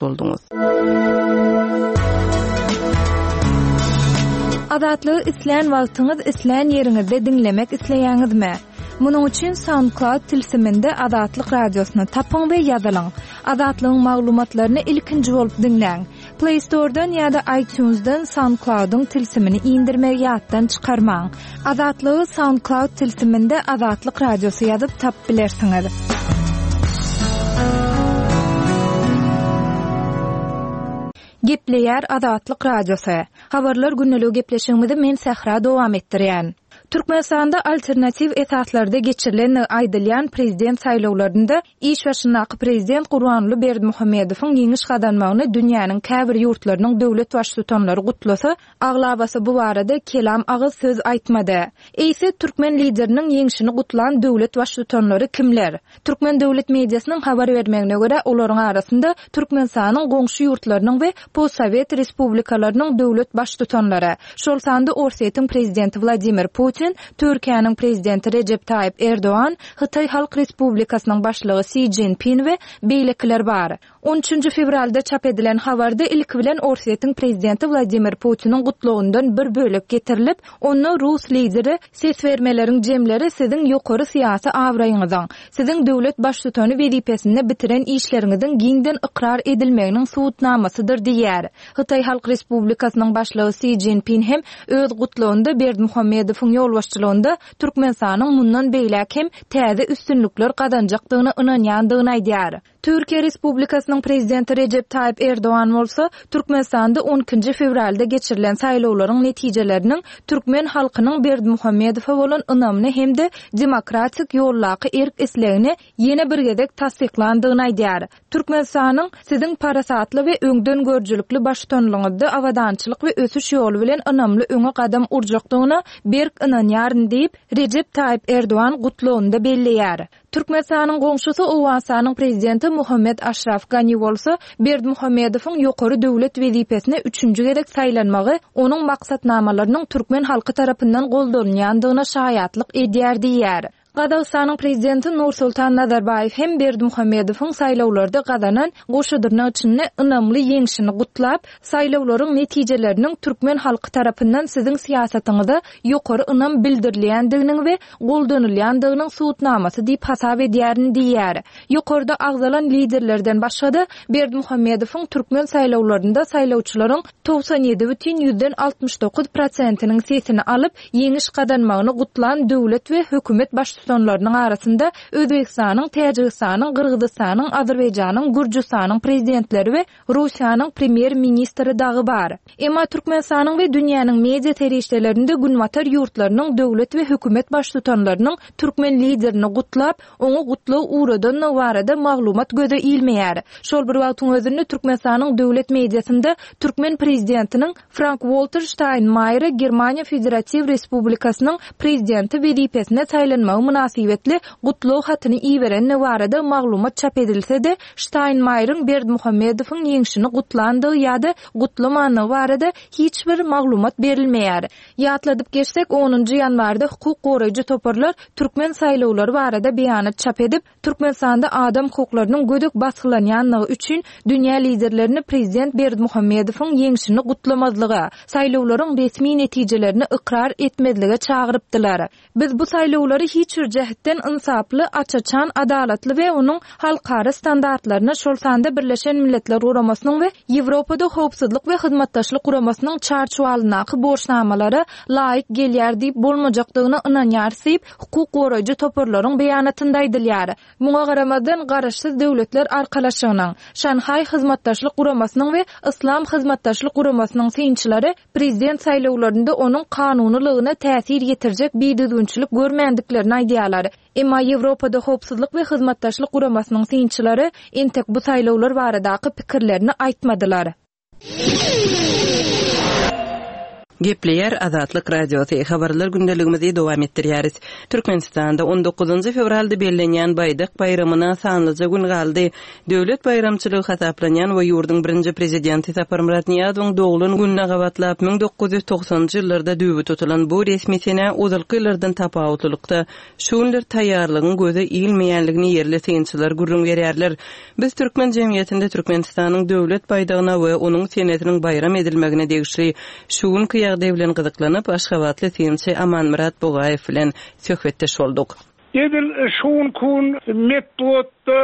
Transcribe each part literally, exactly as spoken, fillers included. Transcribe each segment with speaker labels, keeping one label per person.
Speaker 1: Bolduňyz.
Speaker 2: Azatlygy islän wagtyňyz, islän ýeriňizde diňlemek isleýäňizmi? Munuň üçin SoundCloud tilsiminde Azatlyk radiosyny tapyň we ýazylyň. Azatlygyň maglumatlaryny ilkinji bolup diňläň. Play Store'dan ýa-da iTunes'dan SoundCloud'yň tilsimini indirmegi ýatdan çykarmaň. Azatlygy SoundCloud tilsiminde Azatlyk radiosy ýazyp tapyp bilersiňiz. Gepleýär Azatlyk Radiosy. Habarlar günlügi gepleşigimizi men Sähra dowam etdirýän. Türkmenistanda alternatiw esaslarda geçirilen aýdylýan prezident saýlawlarynda iş başyndaky prezident Gurbanguly Berdimuhamedowyň ýeňiş gazanmagyny dünýäniň käbir ýurtlarynyň döwlet baştutanlary gutlasa, aglabasy bu barada kelam agyz söz aýtmady. Eýse türkmen lideriniň ýeňşini gutlan döwlet baştutanlary kimler? Türkmen döwlet mediasynyň habar bermegine görä olaryň arasynda Türkmenistanyň goňşy ýurtlarynyň we postsowet respublikalarynyň döwlet baştutanlary, şol sanda Orsýetiň prezidenti Wladimir Putin, Türkiýäniň prezidenti Rejep Taýyp Erdogan, Hytaý Halk Respublikasynyň başlygy Si Jinping we beýlekiler bar. On üçünji fewralda çap edilen habarda ilki bilen Orsýetiň prezidenti Wladimir Putiniň gutlagyndan bir bölek getirilip, onda Rus lideri ses bermeleriň jemleri siziň ýokary syýasy abraýyňyzyň, siziň döwlet baştutany wezipesinde bitiren işleriňiziň giňden ykrar edilmeginiň subutnamasydyr diýär. Hytaý Halk Respublikasynyň başlygy Si Jinping hem öz gutlagynda Berdimuhamedowyň ýolbaşçylygynda Türkmenistanyň mundan beýläk hem täze üstünlikler gazanjakdygyna ynanýandygyny aýdýar. Türkiýe Respublikasynyň prezidenti Rejep Taýyp Erdogan bolsa Türkmenistanda on ikinji fewralda geçirilen saýlawlaryň netijeleriniň türkmen halkynyň Berdimuhamedowa bolan ynamyny hem-de demokratik ýollaky erk islegini ýene bir gezek tassyklandygyny aýdýar. Türkmenistanyň siziň parasatly we öňden görüjilikli baştutanlygyňyzda abadançylyk we ösüş ýoly bilen ynamly öňe gadam urjakdygyna berk ynanýaryn diýip Rejep Taýyp Erdogan gutlagynda belleýär. Türkmenistanyň goňşusy Owganystanyň prezidenti Muhammed Aşraf Gani bolsa Berdimuhamedowyň ýokary döwlet wezipesine üçünji gezek saýlanmagy onuň maksatnamalarynyň türkmen halky tarapyndan goldalynýandygyna şaýatlyk edýär diýýär. Gazagystanyň prezidenti Nursultan Nazarbaýew hem Berdimuhamedowyň saýlawlarda gazanan goşadyrnak içinde ynamly ýeňşini gutlap, saýlawlaryň netijeleriniň türkmen halky tarapyndan siziň syýasatyňyza ýokary ynam bildirilýändiginiň we goldanylýandygynyň subutnamasy diýip hasap edýärin diýýär. Ýokarda agzalan liderlerden başga-da Berdimuhamedowyň türkmen saýlawlarynda saýlawçylaryň togsan ýedi bütin ýüzden altmyş dokuz prosentiniň sesini alyp, ýeňiş gazanmagyny gutlan döwlet we hökümet baştutanlarynyň arasynda Özbekistanyň, Täjigistanyň, Gyrgyzystanyň, Azerbaýjanyň, Gürjüstanyň prezidentleri we Russiýanyň premýer-ministri dagy bar. Emma Türkmenistanyň we dünýäniň media serişdelerinde günbatar ýurtlarynyň döwlet we hökümet baştutanlarynyň türkmen liderini gutlap, oňa gutlag ugradanlygy barada maglumat göze ilmeýär. Şol bir wagtyň özünde Türkmenistanyň döwlet mediasynda türkmen prezidentiniň Frank-Walter Steinmeier Germaniýa Federatiw Respublikasynyň prezidenti wezipesine saýlanmagy mynasybetli gutlag hatyny iberenligi barada maglumat çap edilse-de, Steinmeierin Berdimuhamedowyň ýeňşini gutlandygy ýa-da gutlamanlygy barada hiç bir maglumat berilmeýär. Ýatladyp geçsek, onunjy ýanwarda hukuk goraýjy toparlar türkmen saýlawlary barada beýanat çap edip, Türkmenistanda adam hukuklarynyň gödek basgylanýanlygy üçin dünýä liderlerini prezident Berdimuhamedowyň ýeňşini gutlamazlyga, saýlawlaryň resmi netijelerini ykrar etmezlige çagyrypdylar. Biz bu saýlawlary hiç bir jähetden ynsaply, aç-açan, adalatly we onuň halkara standartlaryna, şol sanda Birleşen Milletler Guramasynyň we Ýewropada howpsuzlyk we hyzmatdaşlyk guramasynyň çarçuwalyndaky borçnamalara laýyk gelýär diýip bolmajakdygyna ynanýarys diýip, hukuk goraýjy toparlaryň beýanatynda aýdylýar. Muňa garamazdan Garaşsyz Döwletler Arkalaşygynyň, Şanhaý Hyzmatdaşlyk Guramasynyň we Yslam Hyzmatdaşlyk Guramasynyň synçylary prezident saýlawlarynda onuň kanunylygyna täsir ýetirjek bidüzgünçilik görmändiklerini aýdýarlar. Emma Ýewropada howpsuzlyk we hyzmatdaşlyk guramasynyň synçylary entek bu saýlawlar baradaky pikirlerini aýtmadylar.
Speaker 1: Gepleýär Azatlyk Radiosy, Habarlar gündeligimizi dowam etdirýäris. Türkmenistanda on dokuzynjy fewralda bellenýän Baýdak baýramyna sanlyja gün galdy. Döwlet baýramçylygy hasaplanýan we ýurduň birinji prezidenti Saparmyrat Nyýazowyň doglan gününe gabatlap müň dokuz ýüz togsanynjy ýyllarda düwbi tutulan bu resmi senä ozalky ýyllardan tapawutlylykda şu günler taýýarlygyň göze ilmeýänligini ýerli synçylar gürrüň berýärler. Biz türkmen jemgyýetinde Türkmenistanyň döwlet baýdagyna we onuň senesiniň baýram edilmegine degişli şu günki ýagdaý bilen gyzyklanyp, aşgabatly synçy Amanmyrat Bugaýew bilen söhbetdeş bolduk.
Speaker 3: Edil şu gün metbugatda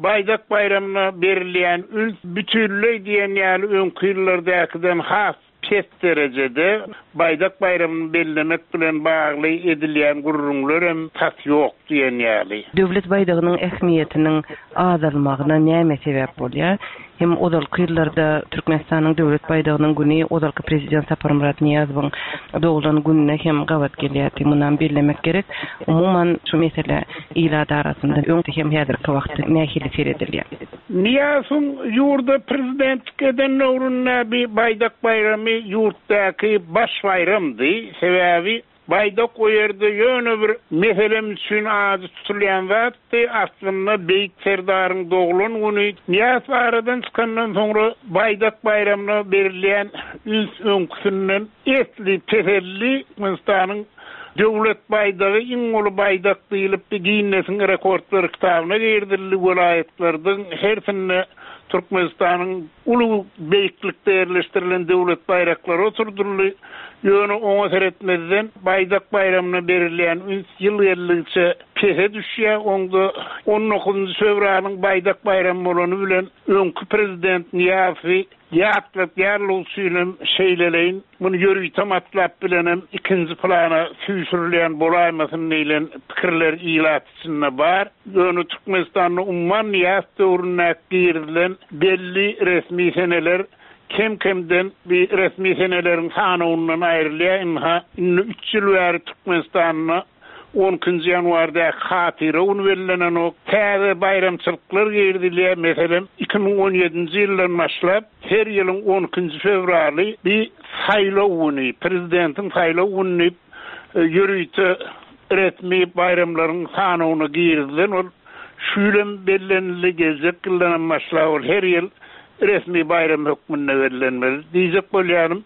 Speaker 3: baýdak baýramyna berilýän üns bütünleý diýen ýaly öňki ýyllardakydan has pes derejede baýdak baýramyny bellemek bilen bagly edilýän gürrüňlerem tas ýok diýen ýaly.
Speaker 1: Döwlet baýdagynyň ähmiýetiniň azalmagyna näme sebäp bolýar? Hem ozalky ýyllarda Türkmenistanyň döwlet baýdagynyň güni ozalky prezident Saparmyrat Nyýazowyň doglan gününe hem gabat gelýärdi. Mundan bellemek gerek. Umuman şu mesele ilat arasynda öň hem häzirki wagtda nähili seredilýär?
Speaker 3: Nyýazowyň ýurda prezidentlik eden döwründe bir baýdak baýramy ýurtdaky baş baýramdy. Sebäbi baýdak o ýerde ýöne bir meselem üçin ady tutulýan zatdy. Aslynda Beýik Serdaryň doglan güni Nyýazow aradan çykandan soňra baýdak baýramyna berilýän üns öňküsinden esli peselli. Türkmenistanyň döwlet baýdagy iň uly baýdak diýilip Ginnesiň rekordlar kitabyna girizildi. Welaýatlardan hersinde Türkmenistanyň uly beýiklikde ýerleşdirilen döwlet baýraklary oturduldy. Ýöne oňa seretmezden baýdak baýramyna berilýän üns ýyl geldigiçe pese düşýär. Onda on dokuzynjy fewralyň baýdak baýramy bolany bilen öňki prezident Nyýazowy ýatlatýarlyk üçinem şeýleleýin muny ýörite matlap bilenem ikinji plana süýşürilýän bolaýmasyn diýlen pikirler ilat içinde bar. Ýöne Türkmenistanda umuman Nyýazow döwründe girizilen belli resmi seneler kem-kemden bir resmi seneleriň sanawyndan aýrylýar. Inha, indi üç ýyl bäri Türkmenistanda on ikinji ýanwarda hatyra güni bellenen ok. Täze baýramçylyklar girizilýär. Meselem, iki müň on ýedinji ýyldan başlap her ýylyň on ikinji fewraly bir saýlaw güni, prezidentiň saýlaw güni diýip, e, ýörite resmi baýramlaryň sanawyna girizilen ol şu ýylam bellenildi, geljek ýyldan başlap ol her ýyl resmi baýram hökmünde bellenmeli. Diýjek bolýanym,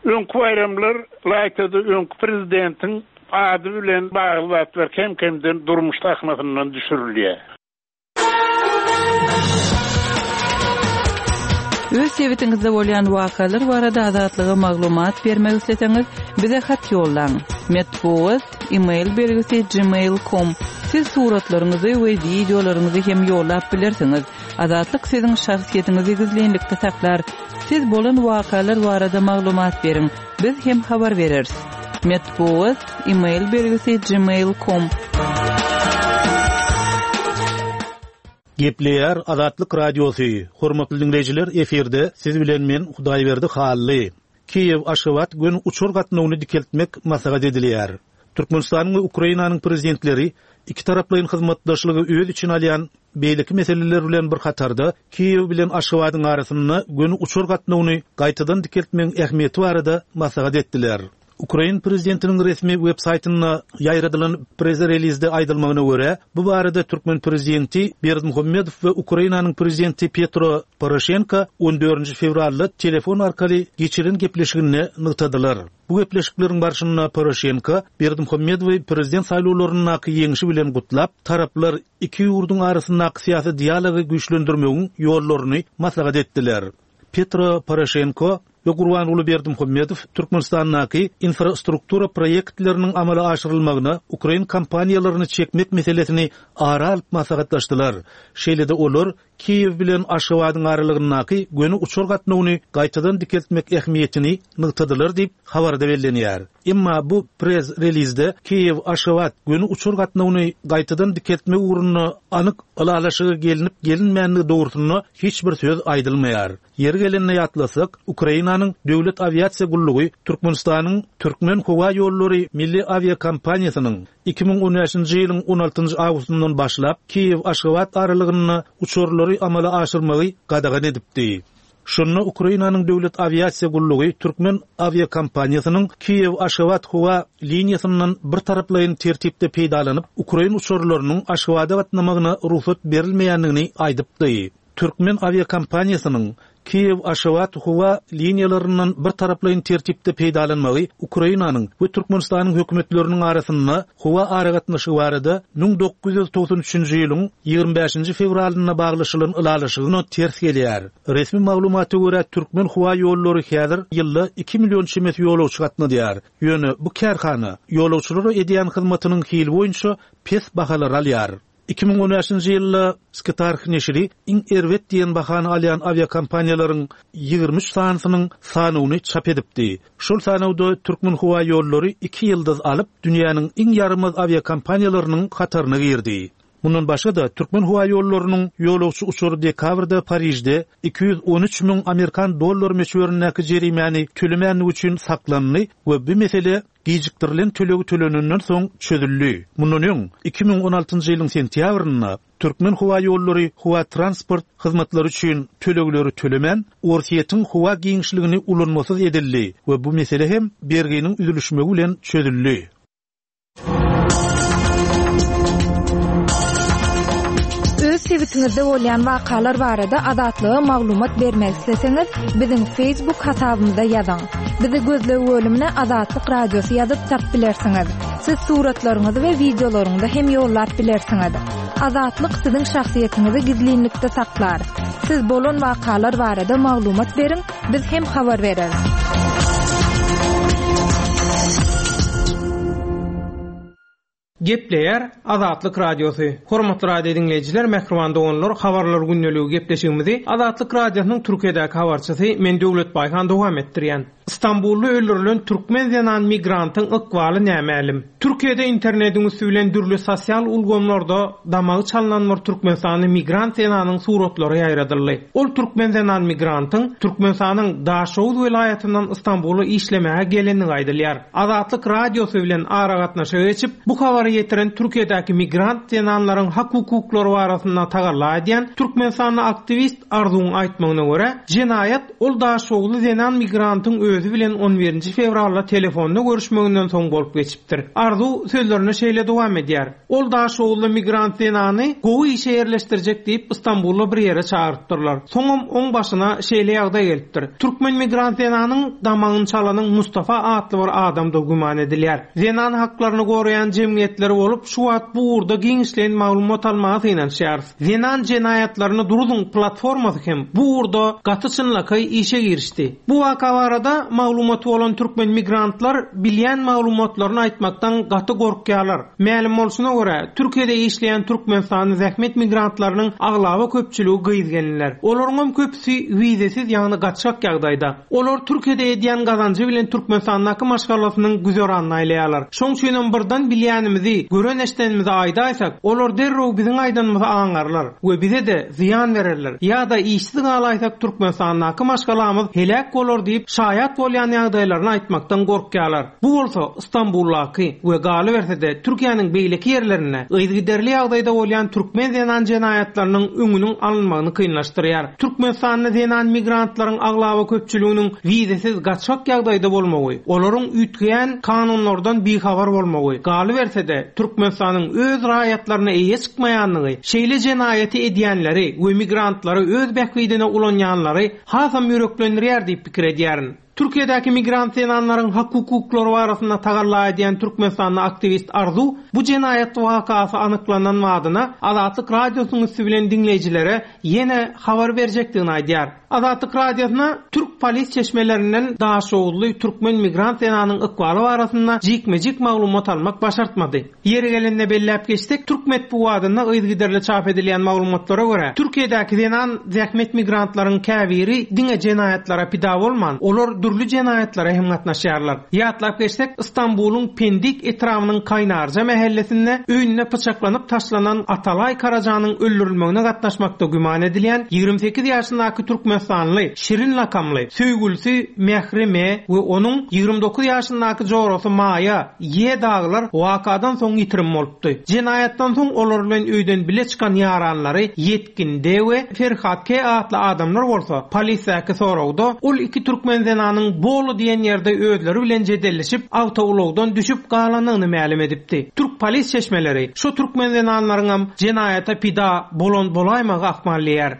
Speaker 3: öňki baýramlar laýtada öňki prezidentiň ady bilen bagly zatlar kem-kemden durmuş sahnasyndan düşürilýär.
Speaker 1: Öz sebitiňizde bolýan wakalar barada Azatlyga maglumat bermek isleseňiz, bize hat ýollaň. Metbugat, e-mail belgisi gmail nokta com. Siz suratlaryňyzy we wideolaryňyzy hem ýollap bilersiňiz. Azatlyk siziň şahsyýetiňizi gizlinlikde saklar. Siz bolan wakalar barada maglumat beriň. Biz hem habar bereris. Metbugat, e-mail belgisi gmail nokta com.
Speaker 4: Gepleýär Azatlyk Radiosy. Hormatly dinleýjiler, efirde siz bilen men Hudaýberdi Hally. Kiýew Aşgabat gün uçar gatnawyny dikeltmek maslahat edilýär. Türkmenistanyň we Ukrainanyň prezidentleri iki taraplaýyn hyzmatdaşlygy öz içine alýan beýleki meseleler bilen bir hatarda Kiýew bilen Aşgabadyň arasynda gün uçar gatnawyny gaýtadan dikeltmegiň ähmiýeti barada maslahat etdiler. Ukrain prezidentiniň resmi web saýtynda ýaýradylan press-relizde aýdylmagyna görä, bu barada Türkmen prezidenti Berdimuhamedow we Ukrainanyň prezidenti Petro Poroşenko on dördünji fewralda telefon arkaly geçiren gepleşiginde nygtadylar. Bu gepleşikleriň barşynda Poroşenko Berdimuhamedowy prezident saýlawlaryndaky ýeňşi bilen gutlap, taraplar iki ýurduň arasyndaky syýasy dialogy güýçlendirmegiň ýollaryny maslahat etdiler. Petro Poroşenko we Gurbanguly Berdimuhamedow Türkmenistandaky infrastruktura proýektleriniň amala aşyrylmagyna Ukrain kompaniýalaryny çekmek meselesini ara alyp maslahatlaşdylar. Şeýle-de olar Kiýew bilen Aşgabadyň aralygyndaky göni uçar gatnawyny gaýtadan dikeltmek ähmiýetini nygtadylar diýip habarda bellenýär. Emma bu press-relizde Kiýew Aşgabat göni uçar gatnawyny gaýtadan dikeltmek ugrunda anyk ylalaşyga gelinip gelinmänligi dogrusynda hiç bir söz aýdylmaýar. Ýeri gelende ýatlasak, Ukrainanyň Döwlet awiasiýa gullugy Türkmenistanyň Türkmen howa ýollary milli awiakompaniýasynyň iki müň on bäşinji ýylyň on altynjy awgustyndan başlap Kiýew Aşgabat aralygynda uçarlary amala aşyrmagy gadagan edipdi. Şunda Ukrainanyň döwlet awiasiýa gullugy Türkmen awiakompaniýasynyň Kiýew Aşgabat howa liniýasyndan bir taraplaýyn tertipde peýdalanyp, Ukrain uçarlarynyň Aşgabada gatnamagyna rugsat berilmeýändigini aýdypdy. Türkmen awiakompaniýasynyň Kiýew Aşgabat howa liniýalaryndan bir taraplaýyn tertipde peýdalanmagy Ukrainanyň we Türkmenistanyň hökümetleriniň arasynda howa aragatnaşygy barada müň dokuz ýüz togsan üçünji ýylyň ýigrimi bäşinji fewralynda baglaşylan ylalaşygyna ters gelýär. Resmi maglumata görä Türkmen howa ýollary häzir ýylda iki million çemesi ýolagçy gatnadýar. Ýöne bu kärhana ýolagçylara edýän hyzmatynyň hili boýunça pes bahalar alýar. Iki müň on bäşinji ýylda Skytark neşiri iň erbet diýen bahany alýan awiakompaniýalaryň ýigrimi üç sanysynyň sanyny çap edipdi. Şol sanawda Türkmen howa ýollary iki ýyldyz alyp, dünýäniň iň ýarymaz awiakompaniýalarynyň hataryna girdi. Mundan başga da Türkmen howa ýollarynyň ýolagçy uçary dekabrda Parijde iki ýüz on üç müň Amerikan dollar möçberindäki jerimäni tölemänligi üçin saklandy we bu mesele gijikdirilen tölegi tölenenden soň çözüldi. Mundan öň iki müň on altynjy ýylyň sentýabrynda Türkmen howa ýollary howa transport hyzmatlary üçin tölegleri tölemän, Orsýetiň howa giňişligini ulanmasyz edildi we bu mesele hem berginiň üzülişmegi bilen çözüldi.
Speaker 2: Öz sebitiňizde bolýan wakalar barada Azatlyga maglumat bermek isleseňiz, biziň Facebook hasabymyza ýazyň. Bizi gözleg bölümine Azatlyk Radiosy ýazyp tap bilersiňiz. Siz suratlaryňyzy we wideolaryňyzy hem ýollap bilersiňiz. Azatlyk siziň şahsyýetiňizi gizlinlikde saklar. Siz bolan wakalar barada maglumat beriň, biz hem habar bereris.
Speaker 5: Gepleýär Azatlyk Radiosy. Hormatly radio dinleýjiler, mähriban doganlar, habarlar gündeligi gepleşigimizi Azatlyk Radiosynyň Türkiýedäki habarçysy men Döwlet Baýhan dowam etdirýän. Istanbulda öldürilen türkmen zenan migrantyň ykbaly nämälim. Türkiýede internetiň üstü bilen dürli sosial ulgamlarda damagy çalynan bir Türkmenistanly migrant zenanyň suratlary ýaýradyldy. Ol türkmen zenan migrantyň Türkmenistanyň Daşoguz welaýatyndan Istanbula işlemäge gelenligi aýdylýar. Azatlyk Radiosy bilen aragatnaşyga geçip, bu habary ýetiren Türkiýedäki migrant zenanlaryň hak hukuklary barasynda tagalla edýän Türkmenistanly aktiwist Arzuň aýtmagyna görä, jenaýat ol Daşoguzly zenan migrantyň özi bilen on birinji fewralda telefonda görüşmeginden soň bolup geçipdir. Arzu sözlerine şeýle dowam edýär. Ol Daşoguzly migrant zenany gowy işe ýerleşdirjek diýip Istanbulda bir ýere çagyrypdyrlar. Soňam oň başyna şeýle ýagdaý gelipdir. Türkmen migrant zenanyň damagyny çalanyň Mustafa atly bir adamda güman edilýär. Zenan haklaryny goraýan jemgyýetleri bolup, şu wagt bu ugurda giňişleýin maglumat almaga synanyşýarys. Zenan jenaýatlaryny duruzyň platformasy hem bu ugurda gaty çynlakaý işe girişdi. Bu waka barada maglumaty bolan türkmen migrantlar bilýän maglumatlaryny aýtmakdan gaty gorkýarlar. Mälim bolşuna görä, Türkiýede işleýän Türkmenistanyň zähmet migrantlarynyň aglaba köpçüligi gyz gelinler. Olaryň hem köpüsi wizesiz, ýagny gaçak ýagdaýda. Olar Türkiýede edýän gazanjy bilen Türkmenistandaky maşgalasynyň güzeranyny aýlaýarlar. Şoň üçin hem birden bilýänimizi, gören eşdenimizi aýdaýsak, olar derrew biziň aýdanymyzy aňarlar we bize de zyýan bererler. Ýa-da işsiz galaýsak Türkmenistandaky maşgalamyz heläk bolar diýip şaýat bolýan ýagdaýlaryny aýtmakdan gorkýarlar. Bu bolsa Istanbuldaky we galyberse-de Türkiýäniň beýleki ýerlerinde yzygiderli ýagdaýda bolýan türkmen zenan jenaýatlarynyň öňüniň alynmagyny kynlaşdyrýar. Türkmenistanda zenan migrantlaryň aglaba köpçüliginiň wizesiz gaçak ýagdaýda bolmagy, olaryň üýtgeýän kanunlardan bihabar bolmagy, galyberse-de Türkmenistanyň öz raýatlaryna eýe çykmaýanlygy, şeýle jenaýaty edýänleri we migrantlary öz bähbidine ulanýanlary hasam ýüreklendirýär diýip pikir edýärin. Türkiýedäki migrant zenanlaryň hak hukuklary barasynda tagalla edýän Türkmenistanly aktiwist Arzu bu jenaýat wakasy anyklanan badyna Azatlyk Radiosynyň üstü bilen diňleýjilere ýene habar berjekdigini aýdýar. Azatlyk Radiosyna Türk polis çeşmelerinden Daşoguzly türkmen migrant zenanyň ykbaly barasynda jikme-jik maglumat almak başartmady. Ýeri gelende belläp geçsek, Türk metbugatynda yzygiderli çap edilýän maglumatlara görä, Türkiýedäki zenan zähmet migrantlaryň käbiri diňe jenaýatlara pida bolman, olar dürli jenaýatlara hem gatnaşýarlar. Ýatlap geçsek, Istanbulyň Pendik etrabynyň Kaýnarja mähellesinde öýünde pyçaklanyp taşlanan Atalay Karajanyň öldürilmegine gatnaşmakda güman edilýän ýigrimi sekiz ýaşyndaky Türkmenistanly Şirin lakamly Söýgülisi Mähri M we onuň ýigrimi dokuz ýaşyndaky jorasy Maýa Y daglar wakadan soň ýitirim bolupdy. Jenaýatdan soň olar bilen öýden bile çykan ýaranlary Ýetkin D we Ferhat K atly adamlar bolsa polisdäki soragda ol iki türkmen zenanyň Bolu diýen ýerde özleri bilen jedelleşip awtoulagdan düşüp galanyny mälim edipdi. Türk polis çeşmeleri şu türkmen zenanlaryňam jenaýata pida bolan bolaýmagy ahmallyar.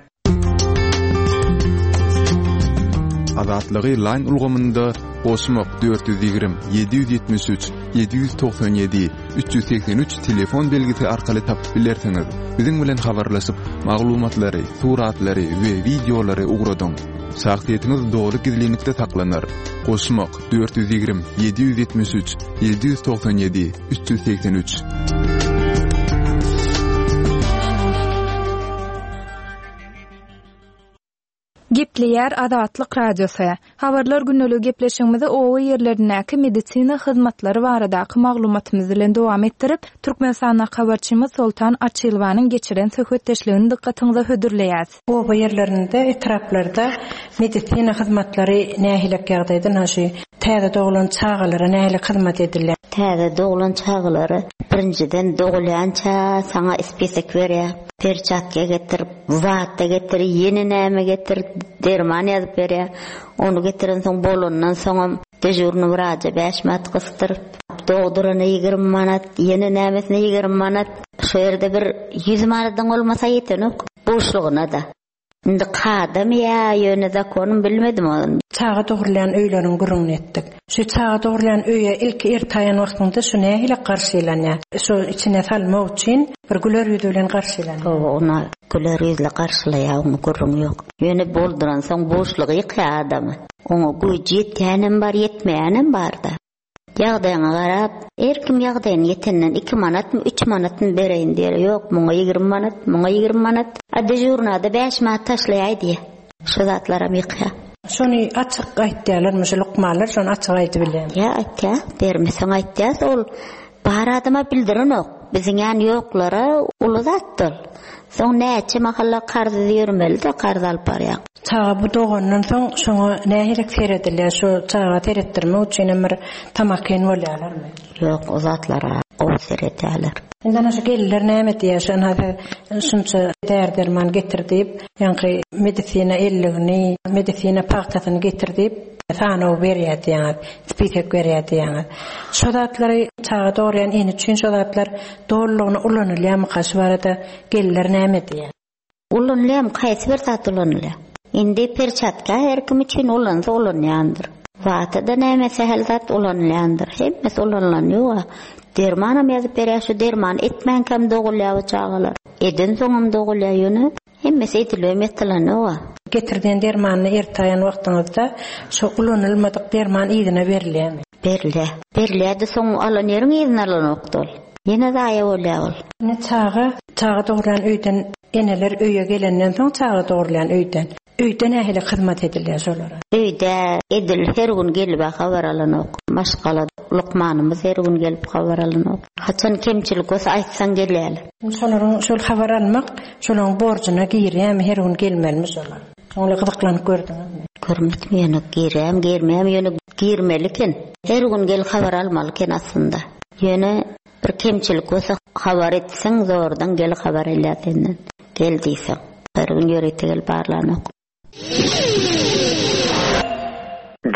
Speaker 6: Azatlygy line ulgamynda goşmak dört ýüz ýigrimi, ýedi ýüz ýetmiş üç, ýedi ýüz togsan ýedi, üç ýüz segsen üç telefon belgisi arkaly tapyp bilersiňiz. Biziň bilen habarlaşyp, maglumatlary, suratlary we wideolary ugradyň. Şahsyýetiňiz doly gizlinlikde saklanar. Goşmak dört ýüz ýigrimi, ýedi ýüz ýetmiş üç, ýedi ýüz togsan ýedi, üç ýüz segsen üç.
Speaker 2: Gepleýär Azatlyk Radiosy. Habarlar günlük gepleşigimizi owa ýerlerindäki medisina hyzmatlary baradaky maglumatymyz bilen dowam etdirip, Türkmenistanda habarçymyz Soltan Açylwanyň geçiren söhbetdeşligini dykgatyňyza hödürleýäs.
Speaker 7: Owa ýerlerinde, etraplarda medisina hyzmatlary nähili ýagdaýda naşy täze doglan çagalara nähili hyzmat edilýär?
Speaker 8: Täze doglan çagalara birinjiden dogulýança saňa ispisek berýär. Perçatga getir, wagtda getir, ýene näme getir, derman ýazyp berýär. Onu getiren soň bolandan soňam dejurny wraja bäş manat gysdyryp, dogdurana ýigrimi manat, ýene nämesine ýigrimi manat. Şu ýerde bir ýüz manadyň bolmasa ýetenok, boşlugyna da. Indi kadam ýa, ýöne zakonym bilmedim ony.
Speaker 7: Çaga dogurlayan öýleriň gürrüňini etdik. Şu çaga dogurlayan öýe ilki ertaýan wagtynda şu nähili garşylanýar? Şu içine salmak üçin bir güler ýüzi bilen garşylanýar.
Speaker 8: Hawa, ona güler ýüzle garşylaýar, onuň gürrüňi ýok. Ýöne bolduran soň boşlugy ýykýar adamy. Oňa güýji ýetýänem bar, ýetmeýänem bar-da. Ýagdaýyňa garap, her kim ýagdaýyny ýetenden iki manatmy, üç manatmy bereýin diýer. Ýok, muňa ýigrimi manat, muňa ýigrimi manat. A dejurnada bäş manat taşlaýaý diýer. Şu zatlaram ýykýar.
Speaker 7: Şony açyk aýtýarlarmy, şu lukmanlar şony açyk aýdyp bilýär.
Speaker 8: Ýa aýtýar, bermeseň aýtýar, ol bar adama bildirenok. Biziň ýan ýoklara uly zatdyr. Soň näçe mahalla karz ýörmeli-de karz alyp barýar.
Speaker 7: Çaga bu dogandan soň şoňa nähili seredilýär? Şu çaga seretdirmek üçin hem bir tamakin bolýarlarmy?
Speaker 8: Ýok, o zatlara gowy seredýärler.
Speaker 7: Indi ana şu gelirler näme diýýär? Şu ana şunça där-derman getir diýip, ýaňky medisina elligini, medisina pagtasyny getir diýip, sanaw berýär diýýär, spisek berýär diýýär. Şu zatlary çaga dogurýan ene üçin şu zatlar dolulygyna ulanylýarmy? Şu barada gelirler näme diýýär?
Speaker 8: Ulanylýarmy? Haýsy bir zat ulanylýar? Indi perçatka her kim üçin ulansa ulanýandyr. Wagtada näme sähel zat ulanylýandyr. Hemmesi ulanylan ýok. Dermanam ýazyp berýär, şu derman etmänkäm dogulýar bu çagalar. Eden soňam dogulýar ýöne. Hemmesi edilip ýatylan ýok.
Speaker 7: Getirdiğin dermanyny ertaýan wagtyňyzda şu ulanylmadyk derman yzyna berilýärmi?
Speaker 8: Berilýär. Berilýär-de soň alan ýeriň yzyna alanokdy ol. Ýene zaýa bolýar ol.
Speaker 7: Ine çaga, çaga dogurlan öýden eneler öýe gelenden soň çaga dogurlan öýden. Öýde nähili hyzmat edilýär şolara?
Speaker 8: Öýde edil her gün gelip habar alanok. Maşgala lukmanymyz her gün gelip habar alanok. Haçan kemçilik bolsa aýtsaň gelýärler.
Speaker 7: Şolaryň şol habar almak, şolaryň borjuna girýärmi, her gün gelmelimi şolar? Şoňa gyzyklanyp gördüňizmi?
Speaker 8: Görmedim, ýöne girýärmi, girmeýärmi, ýöne girmeli eken. Her gün gel habar almaly eken aslynda. Ýöne bir kemçilik bolsa habar etseň zordan gel habar elýär senden. Gel diýseň, her gün ýörite gel barlanok.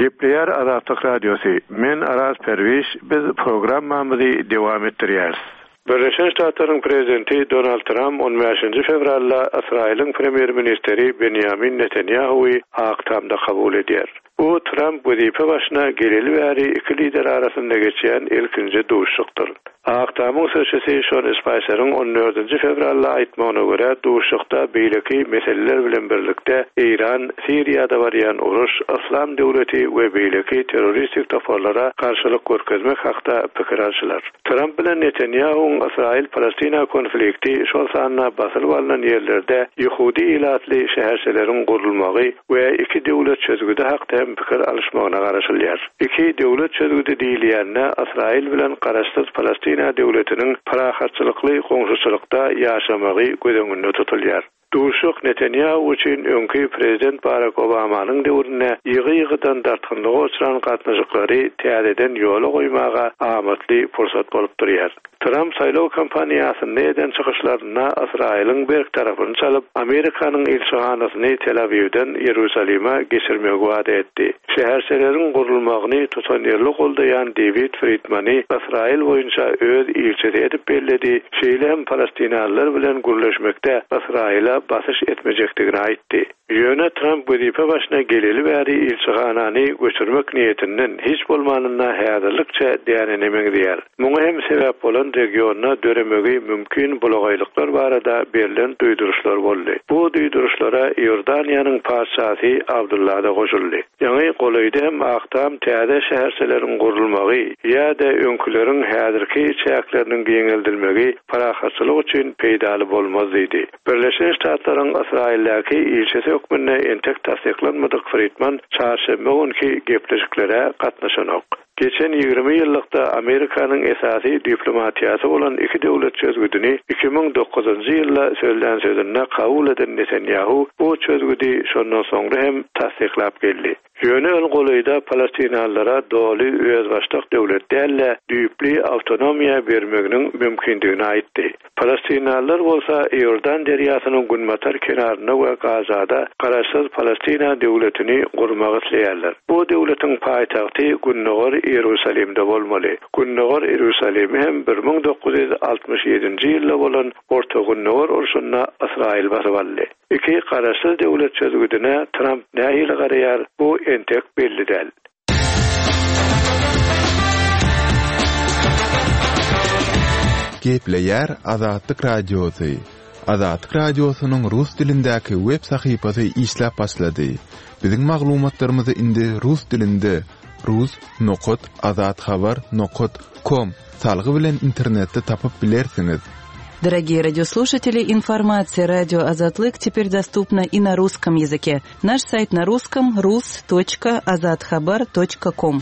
Speaker 9: Gepleýär Azatlyk Radiosy. Men Araz Perwiş, biz programmamyzy dowam etdirýäris. Birleşen Ştatlaryň prezidenti Donald Trump on bäşinji fewralda Ysraýylyň premýer-ministri Benjamin Netanyahu'y Ak Tamda kabul edýär. Bu Trump wezipe başyna geleli bäri iki lider arasynda geçýän ilkinji duşuşykdyr. Ak Tamyň sözçüsi Sean Spicer'ın on dördünji fewralda aýtmagyna görä duşuşykda beýleki meseleler bilen birlikde Eýran, Siriýada barýan uruş, Yslam döwleti we beýleki terroristik toparlara garşylyk görkezmek hakda pikir alşylar. Trump bilen Netanyahu'ň Ysraýyl-Palestina konflikti şol sanda basylyp alnan ýerlerde Ýehudi ilatly şäherçeleriň gurulmagy we iki döwlet çözgüdi hakda hem pikir alyşmagyna garaşylýar. Iki döwlet çözgüdi diýilýände Ysraýyl bilen garaşsyz Palestina döwletiniň parahatçylykly goňşuçylykda ýaşamagy göz öňünde tutulýar. Duşuşyk Netanyahu üçin öňki prezident Barack Obamanyň döwründe ýygy-ýygydan dartgynlyga uçran gatnaşyklary täzeden ýola goýmaga amatly pursat bolup durýar. Tramp saýlaw kampaniýasynda eden çykyşlarynda Ysraýylyň berk tarapyny çalyp, Amerikanyň ilçihanasyny Tel Awiwden Ýerusalime geçirmegi wada etdi. Şäherçeleriň gurulmagyny tutanýerli goldaýan David Friedmany Ysraýyl boýunça öz ilçisi edip belledi, şeýle hem palestinalylar bilen gürleşmekde Ysraýyla basyş etmejekdigini aýtdy. Ýöne Tramp wezipe başyna geleli bäri ilçihanany göçürmek niýetinden hiç bolmanynda häzirlikçe dänene meňzeýär. Muňa hem sebäp bolan regionda döremegi mümkin bulagaýlyklar barada berlen duýduryşlar boldy. Bu duýduryşlara Iordaniýanyň patyşasy Abdullah da goşuldy. Ýaňy golaýda hem Ak Tam täze şäherçeleriň gurulmagy ýa-da öňküleriň häzirki çäkleriniň giňeldilmegi parahatçylyk üçin peýdaly bolmaz diýdi. Birleşen Ştatlaryň Ysraýyldaky ilçisi hökmünde entek tassyklanmadyk Friedman çarşenbe günki gepleşiklere gatnaşanok. Geçen ýigrimi ýyllykda Amerikanyň esasy diplomatiýasy bolan iki döwlet çözgüdini iki müň dokuzynjy ýylda sözlän sözünde kabul eden Netanyahu bu çözgüdi şondan soňra hem tassyklap geldi. Ýöne ol golaýda palestinalylara doly özbaşdak döwlet däl-de düýpli awtonomiýa bermeginiň mümkindigini aýtdy. Palestinalylar bolsa Iordan derýasynyň günbatar kenarynda we Gazada garaşsyz Palestina döwletini gurmak isleýärler. Bu döwletiň paýtagty Gündogar Ýerusalimde bolmaly. Gündogar Ýerusalimi hem bir müň dokuz ýüz altmyş ýedinji ýylda bolan Orta Gündogar urşunda Ysraýyl basyp aldy. Iki garaşsyz döwlet çözgüdine Tramp nähili garaýar, bu entek belli däl.
Speaker 6: Gepleýär Azatlyk Radiosy. Azatlyk Radiosynyň rus dilindäki web sahypasy işläp başlady. Biziň maglumatlarymyzy indi rus dilinde rus nokat azathabar nokat com salgy bilen internetde tapyp bilersiňiz.
Speaker 1: Дорогие радиослушатели, информация радио Азатлык теперь доступна и на русском языке. Наш сайт на русском рус точка азатхабар точка ком.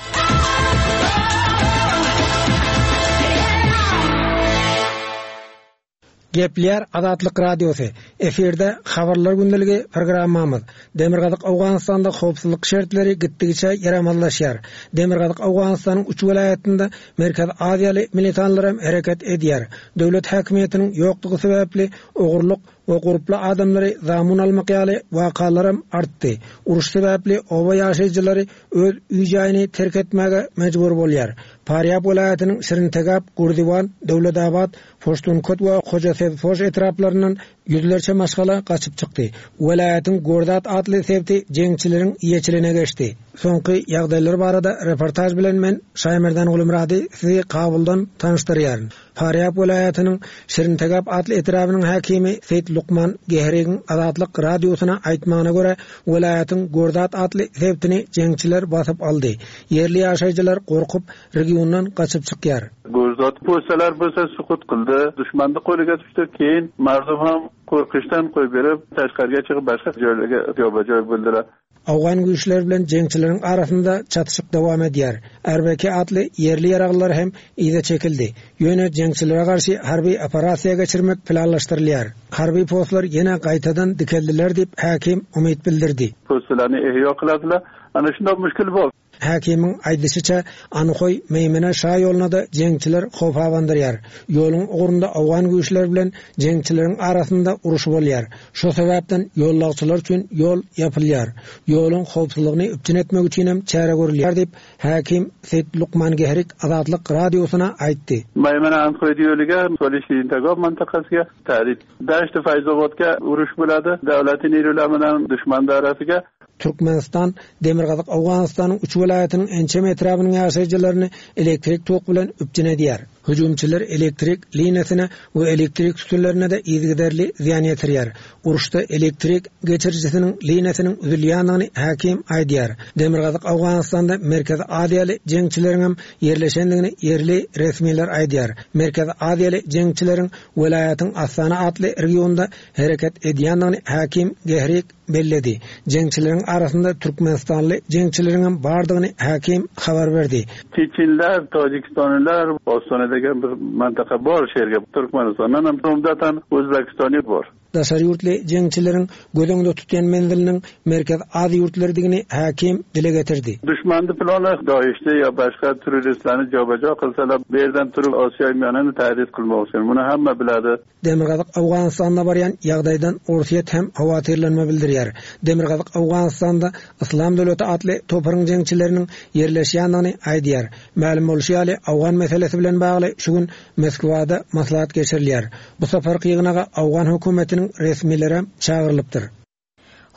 Speaker 10: Gepleýär Azatlyk Radiosy. Efirde habarlar gündeligi programmamyz. Demirgazyk Owganystanda howpsuzlyk şertleri gitdigiçe ýaramazlaşýar. Demirgazyk Owganystanyň üç welaýatynda Merkez Aziýaly militanlar hem hereket edýär. Döwlet häkimiýetiniň ýokdugy sebäpli ogurlyk we gurply adamlary zamun almak ýaly wakalar hem artdy. Uruş sebäpli oba ýaşaýjylary öz öý-jaýyny terk etmäge mejbur bolýar. Parýab welaýatynyň Şirintegap, Gurdiwan, Döwletabat, Poştunkot we Hojasebpoş etraplaryndan ýüzlerçe maşgala gaçyp çykdy. Welaýatyň Gordat atly sebti jeňçileriň ýeçiline geçdi. Soňky ýagdaýlar barada reportaj bilen men Şaýmerdan Gulumrady sizi Kabuldan tanyşdyrýaryn. Parýab welaýatynyň Şirintegap atly etrabynyň häkimi Seýit Lukman Gehrigiň Azatlyk radiosyna aýtmagyna görä, welaýatyň Gordat atly sebtini jeňçiler basyp aldy. Ýerli ýaşaýjylar gorkup regiondan gaçyp çykýar.
Speaker 11: Gorzat postalar bolsa sukut kıldı. Düşmandı qo'liga tushdi. Keyin mardum ham qo'rqishdan qo'yib berib, tashqariga chiqib boshqa joylarga joyba-joy bo'ldilar.
Speaker 10: Awgan güýçler bilen jeňçileriň arasynda çatyşyk dowam edýär. Erbeke atly ýerli ýaraglylar hem iýde çekildi. Ýöne jeňçilere garşy harby operasiýa geçirmek planlaşdyrylýar. Harby postlar ýene gaýtadan dikeldiler diýip häkim umyt bildirdi.
Speaker 11: Postlarni ihyo qiladilar. Ana shunday mushkul bor.
Speaker 10: Häkimiň aýdyşyça Anhoý Meýmene şa ýoluna da jeňçiler howp abandyrýar. Ýoluň ugrunda awgan güýçler bilen jeňçileriň arasynda uruş bolýar. Şo sebäpden ýollagçylar üçin ýol ýapylýar. Ýoluň howpsuzlygyny üpjün etmek üçin hem çäre görülýär diýip häkim Seýit Lukman Gehrik Azatlyk radiosyna aýtdy.
Speaker 11: Meýmene Anhoý ýoluga Solişintagop mintaqasiga tahdid. Dasht Fayzobodga urush bo'ladi. Davlatning erlar bilan dushman arasiga.
Speaker 10: Türkmenistan Demirgazyk Owganystanyň üç welaýatynyň ençeme etrabynyň ýaşaýjylaryny elektrik tok bilen üpjün edýär. Hüjümçiler elektrik liniýasyna we elektrik sütünlerine de yzygiderli zyýan ýetirýär. Uruşda elektrik geçirijisiniň liniýasynyň üzülýändigini häkim aýdýar. Demirgazyk Owganystanda Merkezi Aziýaly jeňçileriň hem ýerleşendigini ýerli resmiler aýdýar. Merkezi Aziýaly jeňçileriň welaýatyň Astana atly regionda hereket edýändigini häkim Gehrik belledi. Jeňçileriň arasynda Türkmenistanly jeňçileriň hem bardygyny häkim habar berdi.
Speaker 11: Çeçenler, Tajikistanlylar, Ostonadagi bir mintaqa bor, shu yerga Turkmanistondan ham, umdatan O'zbekistonlik bor.
Speaker 10: Daşary ýurtly jeňçileriň göz öňünde tutýan menziliniň Merkezi Aziýa ýurtlarydygyny häkim dile getirdi.
Speaker 11: Duşmanni plani Doishni yo boshqa terroristlarni jobajo qilsalar, bu yerdan turib Osiyo Miyonani tahdid qilmoqchi. Buni hamma biladi.
Speaker 10: Demirgazyk Owganystanda barýan ýagdaýdan Orsýet hem howatyrlanma bildirýär. Demirgazyk Owganystanda Yslam döwleti atly toparyň jeňçileriniň ýerleşýändigini aýdýar. Mälim bolşy ýaly, Owgan meselesi bilen bagly şu gün Moskwada maslahat geçirilýär. Bu saparky ýygnaga Owgan hökümetiniň resmileri çagyrylypdyr.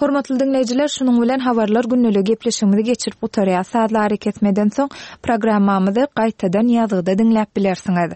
Speaker 2: Hormatly diňleýjiler, şunuň bilen habarlar gündeligi gepleşigimizi geçirip gutarýar. Sazly arakesmeden soň programmamyzy gaýtadan ýazgyda diňläp bilersiňiz.